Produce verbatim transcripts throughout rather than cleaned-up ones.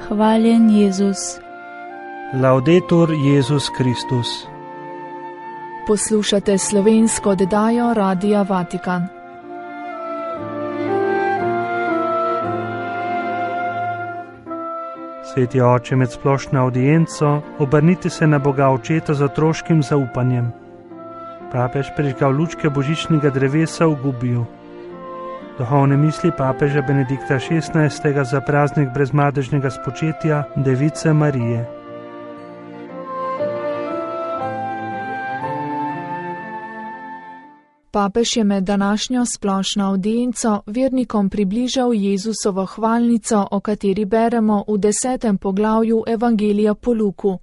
Hvaljen Jezus. Laudetur Jezus Kristus. Poslušate slovensko oddajo Radia Vatikan. Sveti oče, med splošno audienco obrnite se na Boga Očeta z otroškim zaupanjem. Papež prižgal lučke božičnega drevesa v Gubiju. Duhovne misli papeža Benedikta šestnajstega za praznik brezmadežnega spočetja Device Marije. Papež je med današnjo splošno audienco vernikom približal Jezusovo hvalnico, o kateri beremo v desetem poglavju Evangelija po Luku.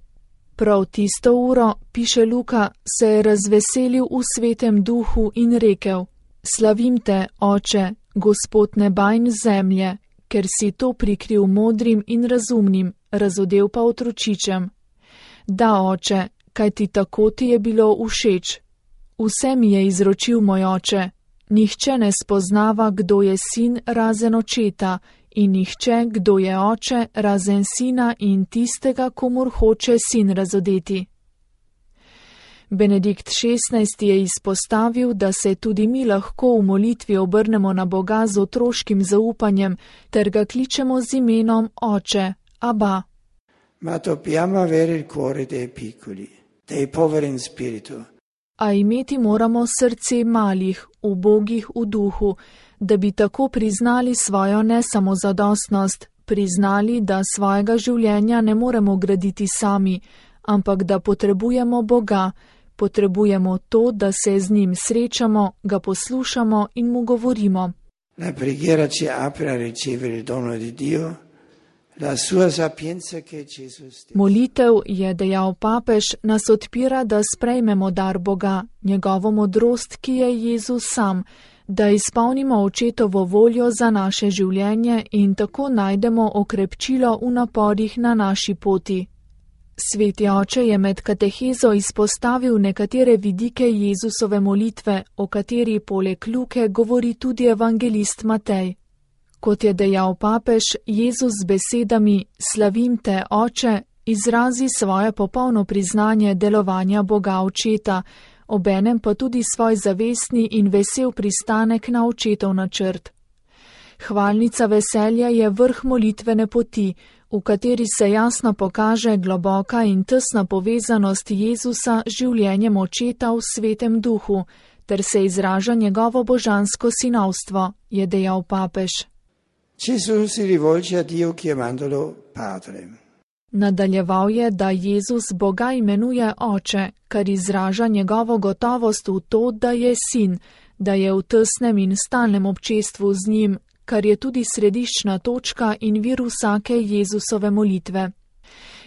Prav tisto uro, piše Luka, se je razveselil v svetem duhu in rekel: Slavim te, Oče, Gospod neba in zemlje, ker si to prikril modrim in razumnim, razodel pa otročičem. Da, Oče, kaj ti tako ti je bilo všeč. Vse mi je izročil moj oče, nihče ne spoznava, kdo je sin razen očeta, in nihče, kdo je oče razen sina in tistega, komur hoče sin razodeti. Benedikt šestnajsti je izpostavil, da se tudi mi lahko v molitvi obrnemo na Boga z otroškim zaupanjem, ter ga kličemo z imenom Oče, Abba. Ma dobbiamo avere il cuore dei piccoli, dei poveri in spirito. A imeti moramo srce malih, ubogih v duhu, da bi tako priznali svojo nesamozadostnost, priznali, da svojega življenja ne moremo graditi sami, ampak da potrebujemo Boga, potrebujemo to, da se z njim srečamo, ga poslušamo in mu govorimo. La preghiera ci apre a ricevere il dono di Dio. La sua sapienza che Gesù stesso. Molitev, je dejal papež, nas odpira, da sprejmemo dar Boga, njegovo modrost, ki je Jezus sam, da izpolnimo očetovo voljo za naše življenje in tako najdemo okrepčilo v naporih na naši poti. Sveti oče je med katehezo izpostavil nekatere vidike Jezusove molitve, o kateri poleg Luke govori tudi evangelist Matej. Kot je dejal papež, Jezus z besedami Slavim te, Oče, izrazi svoje popolno priznanje delovanja Boga Očeta, obenem pa tudi svoj zavestni in vesel pristanek na očetov načrt. Hvalnica veselja je vrh molitvene poti, v kateri se jasno pokaže globoka in tesna povezanost Jezusa z življenjem Očeta v svetem duhu, ter se izraža njegovo božansko sinovstvo, je dejal papež. Gesù si rivolge a Dio chiamandolo Padre. Nadaljeval je, da Jezus Boga imenuje Oče, kar izraža njegovo gotovost v to, da je sin, da je v tesnem in stalnem občestvu z njim, kar je tudi središčna točka in vir vsake Jezusove molitve.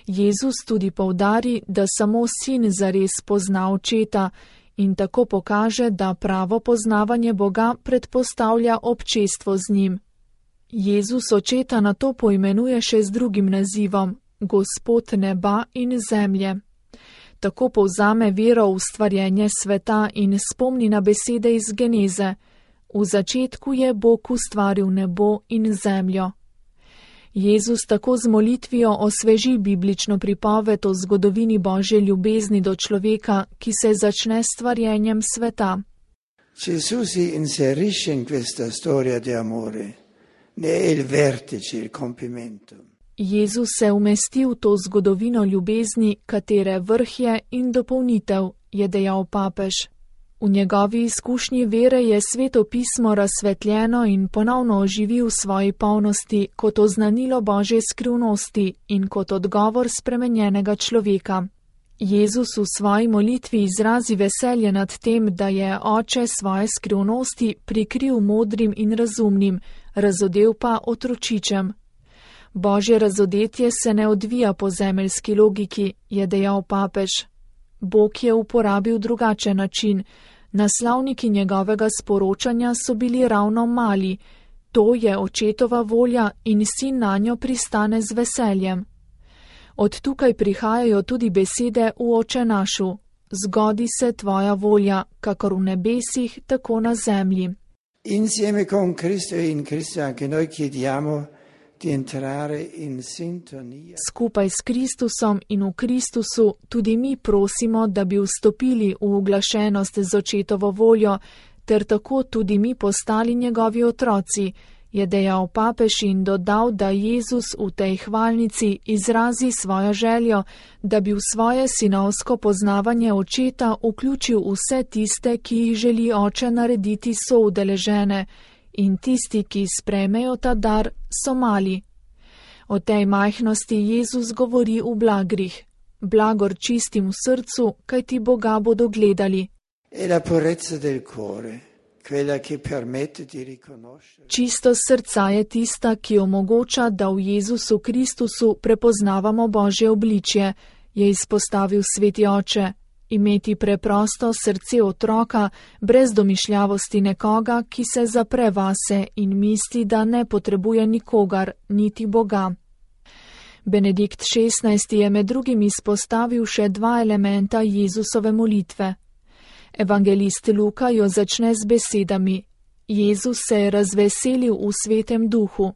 Jezus tudi poudari, da samo sin zares pozna Očeta in tako pokaže, da pravo poznavanje Boga predpostavlja občestvo z njim. Jezus Očeta nato poimenuje še z drugim nazivom, Gospod neba in zemlje. Tako povzame vero v ustvarjenje sveta in spomni na besede iz Geneze. V začetku je Bog ustvaril nebo in zemljo. Jezus tako z molitvijo osveži biblično pripoved o zgodovini Božje ljubezni do človeka, ki se začne s stvarjenjem sveta. Gesù si inserisce in questa storia di amore. Ne è il vertice, il compimento. Jezus se umesti v to zgodovino ljubezni, katere vrh je in dopolnitev, je dejal papež. V njegovi izkušnji vere je Sveto pismo razsvetljeno in ponovno oživi v svoji polnosti kot oznanilo Božje skrivnosti in kot odgovor spremenjenega človeka. Jezus v svoji molitvi izrazi veselje nad tem, da je Oče svoje skrivnosti prikril modrim in razumnim, razodel pa otročičem. Božje razodetje se ne odvija po zemeljski logiki, je dejal papež. Bog je uporabil drugačen način. Naslovniki njegovega sporočanja so bili ravno mali. To je Očetova volja in sin nanjo pristane z veseljem. Od tukaj prihajajo tudi besede v Oče našu. Zgodi se tvoja volja, kakor v nebesih, tako na zemlji. Insieme con Cristo e in Cristo anche noi chiediamo di entrare in sintonia. Skupaj s Kristusom in v Kristusu tudi mi prosimo, da bi vstopili v uglašenost z očetovo voljo, ter tako tudi mi postali njegovi otroci, je dejal papež in dodal, da Jezus v tej hvalnici izrazi svojo željo, da bi v svoje sinovsko poznavanje očeta vključil vse tiste, ki jih želi oče narediti soudeležene, in tisti, ki sprejmejo ta dar, so mali. O tej majhnosti Jezus govori v blagrih. Blagor čistim v srcu, kajti Boga bodo gledali. E la purezza del cuore, quella che permette di riconoscere. Čistost srca je tista, ki omogoča, da v Jezusu Kristusu prepoznavamo Božje obličje, je izpostavil sveti oče. Imeti preprosto srce otroka, brez domišljavosti nekoga, ki se zapre vase in misli, da ne potrebuje nikogar, niti Boga. Benedikt šestnajsti je med drugim izpostavil še dva elementa Jezusove molitve. Evangelist Luka jo začne z besedami: Jezus se je razveselil v svetem duhu.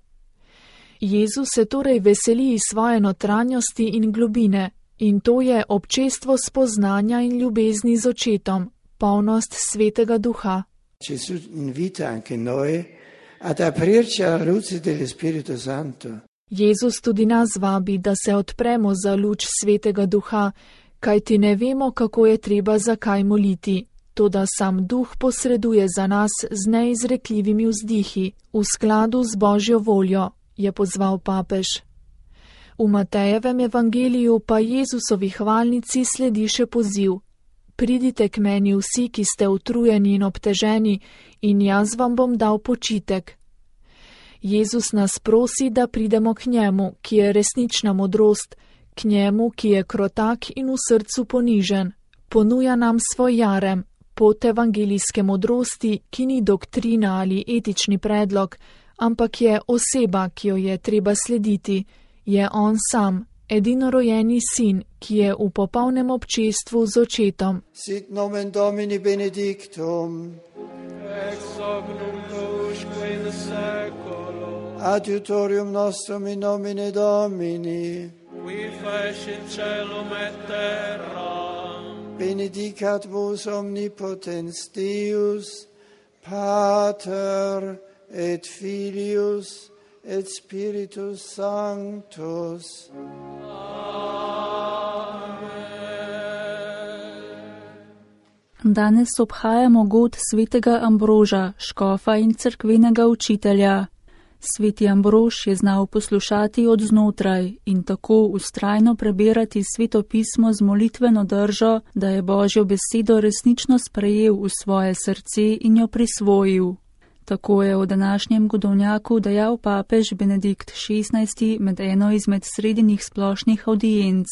Jezus se torej veseli iz svoje notranjosti in globine, in to je občestvo spoznanja in ljubezni z očetom, polnost svetega duha. Gesù invita anche noi ad aprirci alla luce dello Spirito Santo. Jezus tudi nas vabi, da se odpremo za luč svetega duha, kajti ne vemo, kako je treba zakaj moliti. Toda sam duh posreduje za nas z neizrekljivimi vzdihi, v skladu z Božjo voljo, je pozval papež. V Matejevem evangeliju pa Jezusovi hvalnici sledi še poziv: Pridite k meni vsi, ki ste utrujeni in obteženi, in jaz vam bom dal počitek. Jezus nas prosi, da pridemo k njemu, ki je resnična modrost, k njemu, ki je krotak in v srcu ponižen. Ponuja nam svoj jarem, pot evangelijske modrosti, ki ni doktrina ali etični predlog, ampak je oseba, ki jo je treba slediti. Je on sam, edinorojenji sin, ki je v popolnem občestvu z očetom. Sit nomen Domini benedictum, ex hoc nunc usque in seculo, adiutorium nostrum in nomine Domini, qui fecit caelum et terra. benedicat vos omnipotens Deus, Pater et Filius et Spiritus Sanctus. Danes obhajamo god svetega Ambroža, škofa in cerkvenega učitelja. Sveti Ambrož je znal poslušati od znotraj in tako vztrajno prebirati sveto pismo z molitveno držo, da je Božjo besedo resnično sprejel v svoje srce in jo prisvojil. Tako je v današnjem godovnjaku dejal papež Benedikt šestnajsti med eno izmed sredinih splošnih audienc.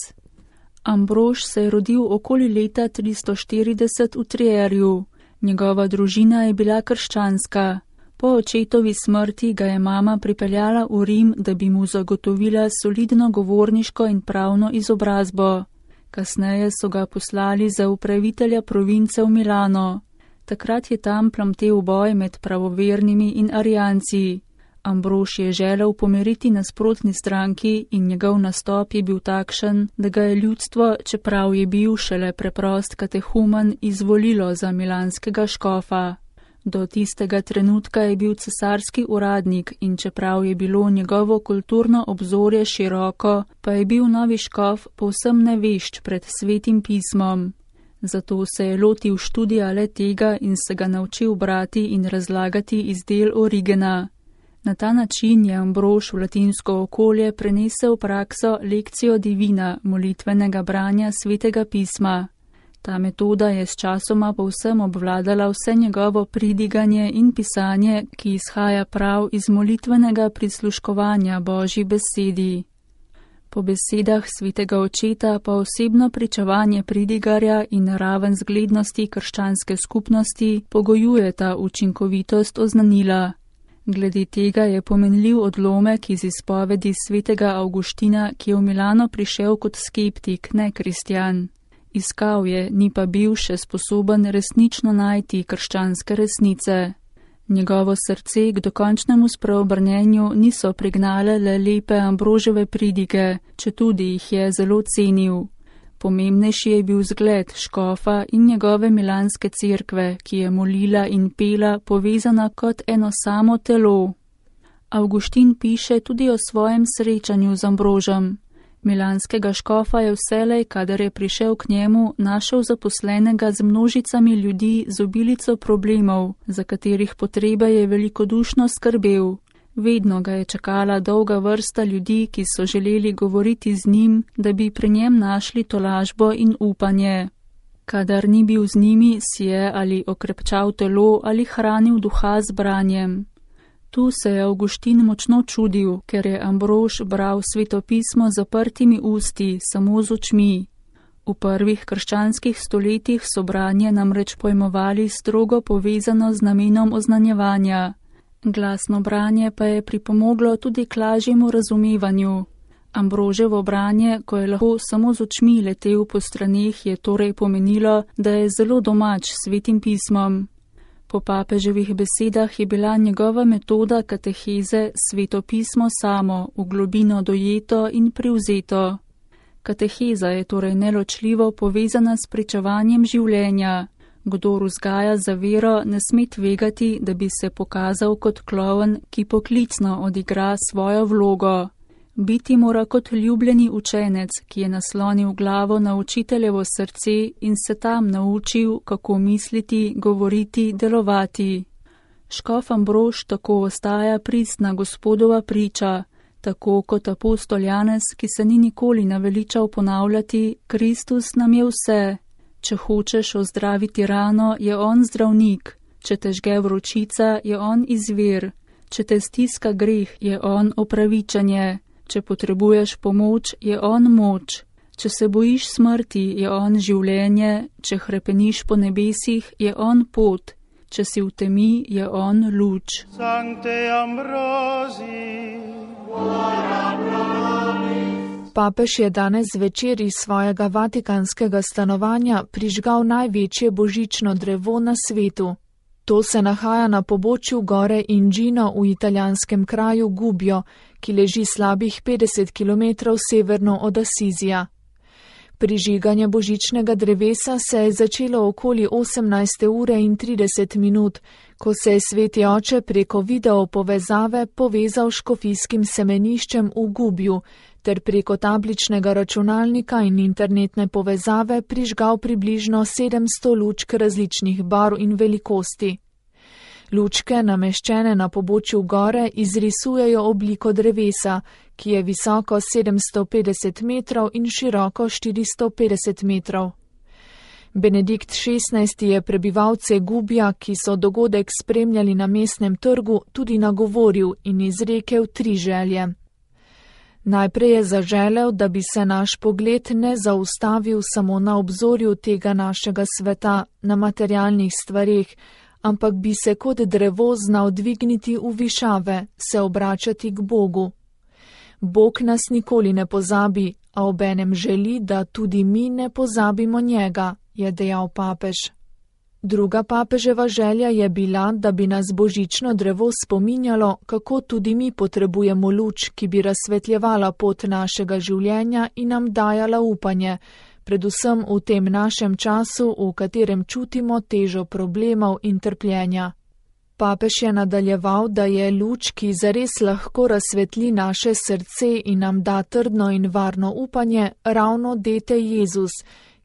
Ambrož se je rodil okoli leta tristo štirideset v Trierju. Njegova družina je bila krščanska. Po očetovi smrti ga je mama pripeljala v Rim, da bi mu zagotovila solidno govorniško in pravno izobrazbo. Kasneje so ga poslali za upravitelja province v Milano. Takrat je tam plamtel boj med pravovernimi in arijanci. Ambrož je želel pomiriti nasprotni stranki in njegov nastop je bil takšen, da ga je ljudstvo, čeprav je bil šele preprost katehumen, izvolilo za milanskega škofa. Do tistega trenutka je bil cesarski uradnik in čeprav je bilo njegovo kulturno obzorje široko, pa je bil novi škof povsem nevešč pred svetim pismom. Zato se je lotil študija le tega in se ga naučil brati in razlagati iz del Origena. Na ta način je Ambrož v latinsko okolje prenesel prakso lekcijo divina, molitvenega branja svetega pisma. Ta metoda je s časoma povsem obvladala vse njegovo pridiganje in pisanje, ki izhaja prav iz molitvenega prisluškovanja Božji besedi. Po besedah svetega očeta pa osebno pričevanje pridigarja in raven zglednosti krščanske skupnosti pogojujeta učinkovitost oznanila. Glede tega je pomenljiv odlomek iz izpovedi svetega Avguština, ki je v Milano prišel kot skeptik, ne kristjan. Iskal je, ni pa bil še sposoben resnično najti krščanske resnice. Njegovo srce k dokončnemu spreobrnenju niso prignale le lepe Ambroževe pridige, četudi jih je zelo cenil. Pomembnejši je bil zgled škofa in njegove milanske cerkve, ki je molila in pela povezana kot eno samo telo. Avguštin piše tudi o svojem srečanju z Ambrožem. Milanskega škofa je vselej, kadar je prišel k njemu, našel zaposlenega z množicami ljudi z obilico problemov, za katerih potrebe je velikodušno skrbel. Vedno ga je čakala dolga vrsta ljudi, ki so želeli govoriti z njim, da bi pri njem našli tolažbo in upanje. Kadar ni bil z njimi, si je ali okrepčal telo ali hranil duha z branjem. Tu se je Avguštin močno čudil, ker je Ambrož bral svetopismo z zaprtimi usti, samo z očmi. V prvih krščanskih stoletjih so branje namreč pojmovali strogo povezano z namenom oznanjevanja. Glasno branje pa je pripomoglo tudi k lažjemu razumevanju. Ambroževo branje, ko je lahko samo z očmi letel po straneh, je torej pomenilo, da je zelo domač s svetim pismom. Po papeževih besedah je bila njegova metoda kateheze sveto pismo samo, v globino dojeto in privzeto. Kateheza je torej neločljivo povezana s pričevanjem življenja. Kdor vzgaja za vero, ne sme tvegati, da bi se pokazal kot klovn, ki poklicno odigra svojo vlogo. Biti mora kot ljubljeni učenec, ki je naslonil glavo na učiteljevo srce in se tam naučil, kako misliti, govoriti, delovati. Škof Ambrož tako ostaja pristna Gospodova priča, tako kot apostol Janez, ki se ni nikoli naveličal ponavljati: Kristus nam je vse. Če hočeš ozdraviti rano, je on zdravnik, če te žge vročica, je on izvir, če te stiska greh, je on opravičenje. Če potrebuješ pomoč, je on moč. Če se bojiš smrti, je on življenje. Če hrepeniš po nebesih, je on pot. Če si v temi, je on luč. Papež je danes zvečer iz svojega vatikanskega stanovanja prižgal največje božično drevo na svetu. To se nahaja na pobočju gore Ingino v italijanskem kraju Gubbio, ki leži slabih petdeset kilometrov severno od Asizija. Prižiganje božičnega drevesa se je začelo okoli osemnajste ure in trideset minut, ko se je sveti oče preko video povezave povezal s škofijskim semeniščem v Gubbiju ter preko tabličnega računalnika in internetne povezave prižgal približno sedemsto lučk različnih barv in velikosti. Lučke, nameščene na pobočju gore, izrisujejo obliko drevesa, ki je visoko sedemsto petdeset metrov in široko štiristo petdeset metrov. Benedikt šestnajsti je prebivalce Gubbija, ki so dogodek spremljali na mestnem trgu, tudi nagovoril in izrekel tri želje. Najprej je zaželel, da bi se naš pogled ne zaustavil samo na obzorju tega našega sveta, na materialnih stvareh, ampak bi se kot drevo znal dvigniti v višave, se obračati k Bogu. Bog nas nikoli ne pozabi, a obenem želi, da tudi mi ne pozabimo njega, je dejal papež. Druga papeževa želja je bila, da bi nas božično drevo spominjalo, kako tudi mi potrebujemo luč, ki bi razsvetljevala pot našega življenja in nam dajala upanje, predvsem v tem našem času, v katerem čutimo težo problemov in trpljenja. Papež je nadaljeval, da je luč, ki zares lahko razsvetli naše srce in nam da trdno in varno upanje, ravno dete Jezus,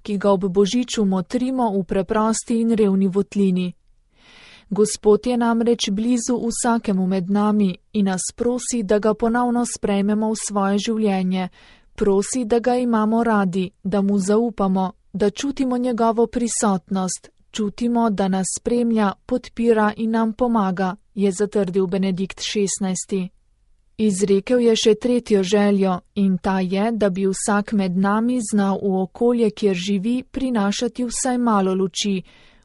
ki ga ob božiču motrimo v preprosti in revni votlini. Gospod je namreč blizu vsakemu med nami in nas prosi, da ga ponovno sprejmemo v svoje življenje, prosi, da ga imamo radi, da mu zaupamo, da čutimo njegovo prisotnost, čutimo, da nas spremlja, podpira in nam pomaga, je zatrdil Benedikt šestnajsti. Izrekel je še tretjo željo in ta je, da bi vsak med nami znal v okolje, kjer živi, prinašati vsaj malo luči,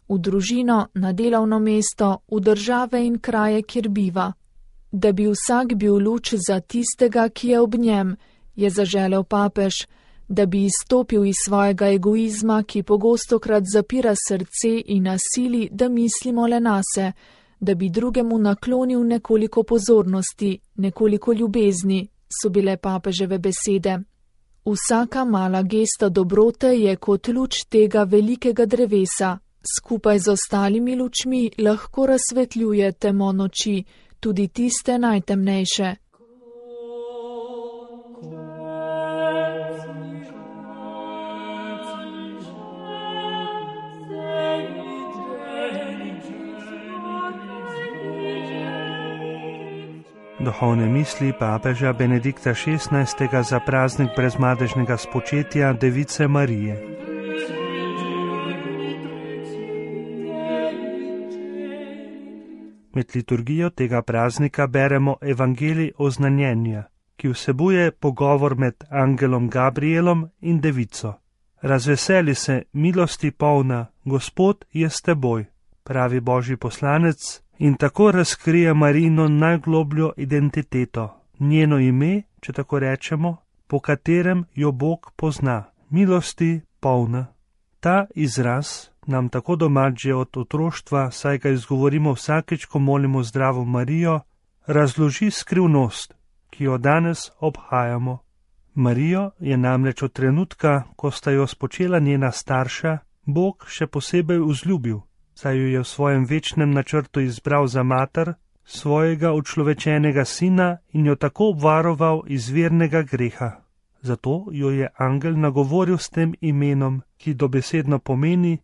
v družino, na delovno mesto, v države in kraje, kjer biva. Da bi vsak bil luč za tistega, ki je ob njem, je zaželel papež, da bi izstopil iz svojega egoizma, ki pogostokrat zapira srce in nasili, da mislimo le nase, da bi drugemu naklonil nekoliko pozornosti, nekoliko ljubezni, so bile papeževe besede. Vsaka mala gesta dobrote je kot luč tega velikega drevesa, skupaj z ostalimi lučmi lahko razsvetljuje temo noči, tudi tiste najtemnejše. Duhovne misli papeža Benedikta šestnajstega za praznik brezmadežnega spočetja Device Marije. Med liturgijo tega praznika beremo evangelij oznanjenja, ki vsebuje pogovor med angelom Gabrielom in devico. Razveseli se, milosti polna, Gospod je s teboj, pravi božji poslanec, in tako razkrije Marijino najglobljo identiteto, njeno ime, če tako rečemo, po katerem jo Bog pozna, milosti polna. Ta izraz nam tako domač že od otroštva, saj ga izgovorimo vsakeč, ko molimo Zdravo Marijo, razloži skrivnost, ki jo danes obhajamo. Marijo je namreč od trenutka, ko sta jo spočela njena starša, Bog še posebej vzljubil, saj jo je v svojem večnem načrtu izbral za mater, svojega učlovečenega sina in jo tako obvaroval iz vernega greha. Zato jo je angel nagovoril s tem imenom, ki dobesedno pomeni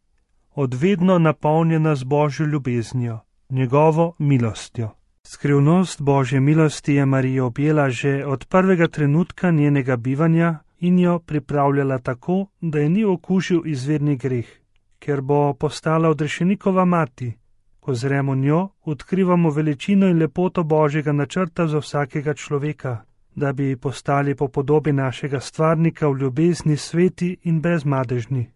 odvedno napolnjena z Božjo ljubeznijo, njegovo milostjo. Skrivnost Božje milosti je Marijo objela že od prvega trenutka njenega bivanja in jo pripravljala tako, da je ni okužil izvirni greh, ker bo postala odrešenikova mati. Ko zremo njo, odkrivamo veličino in lepoto Božjega načrta za vsakega človeka, da bi postali po podobi našega stvarnika v ljubezni sveti in brezmadežni.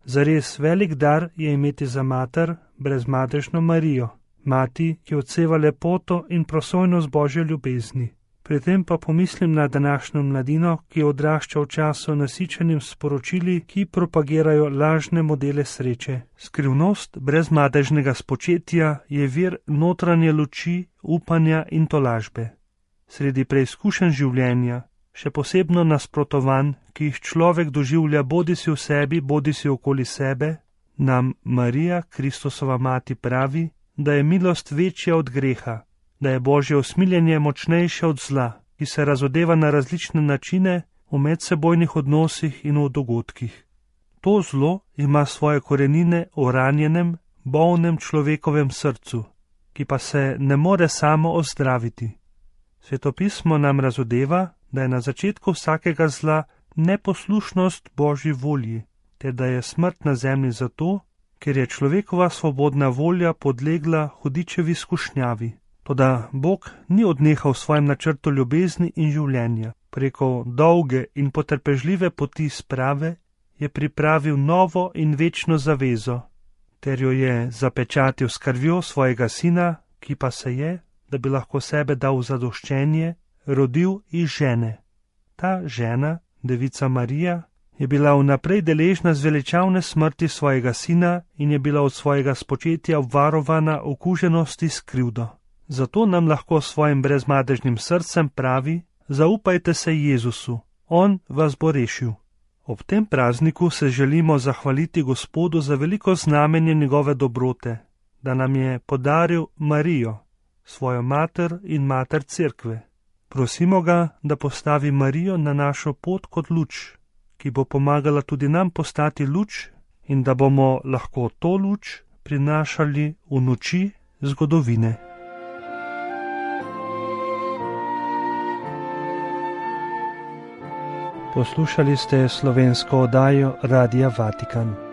Zares velik dar je imeti za mater brezmadežno Marijo, mati, ki odseva lepoto in prosojnost Božje ljubezni. Pri tem pa pomislim na današnjo mladino, ki odrašča v času nasičenim sporočili, ki propagirajo lažne modele sreče. Skrivnost brezmadežnega spočetja je vir notranje luči, upanja in tolažbe. Sredi preizkušenj življenja, še posebno nasprotovanj, ki jih človek doživlja bodisi v sebi, bodisi okoli sebe, nam Marija, Kristusova mati, pravi, da je milost večja od greha, da je Božje usmiljenje močnejše od zla, ki se razodeva na različne načine v medsebojnih odnosih in v dogodkih. To zlo ima svoje korenine v ranjenem, bolnem človekovem srcu, ki pa se ne more samo ozdraviti. Svetopismo nam razodeva, da je na začetku vsakega zla neposlušnost Božji volji, ter da je smrt na zemlji zato, ker je človekova svobodna volja podlegla hudičevi skušnjavi. Toda Bog ni odnehal v svojem načrtu ljubezni in življenja. Preko dolge in potrpežljive poti sprave je pripravil novo in večno zavezo, ter jo je zapečatil s krvjo svojega sina, ki pa se je, da bi lahko sebe dal v zadoščenje, rodil iz žene. Ta žena, devica Marija, je bila vnaprej deležna zveličavne smrti svojega sina in je bila od svojega spočetja obvarovana okuženosti s krivdo. Zato nam lahko s svojim brezmadežnim srcem pravi: zaupajte se Jezusu, On vas bo rešil. Ob tem prazniku se želimo zahvaliti Gospodu za veliko znamenje njegove dobrote, da nam je podaril Marijo, svojo mater in mater cerkve. Prosimo ga, da postavi Marijo na našo pot kot luč, ki bo pomagala tudi nam postati luč in da bomo lahko to luč prinašali v noči zgodovine. Poslušali ste slovensko oddajo Radia Vatikan.